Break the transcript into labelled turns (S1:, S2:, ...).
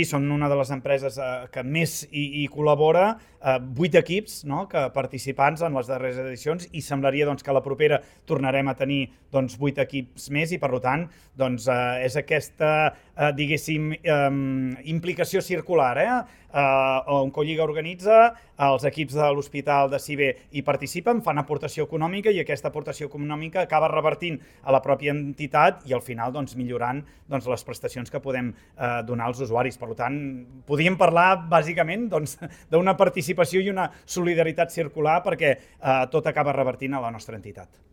S1: Són una de les empreses que més hi col·labora, 8 equips participants en les darreres edicions, i semblaria que a la propera tornarem a tenir 8 equips més, i per tant és aquesta, diguéssim, implicació circular, on Collliga organitza, els equips de l'Hospital de CIBE hi participen, fan aportació econòmica, i aquesta aportació econòmica acaba revertint a la pròpia entitat i al final millorant les prestacions que podem donar als usuaris. Per tant, podríem parlar bàsicament d'una participació i una solidaritat circular, perquè tot acaba revertint a la nostra entitat.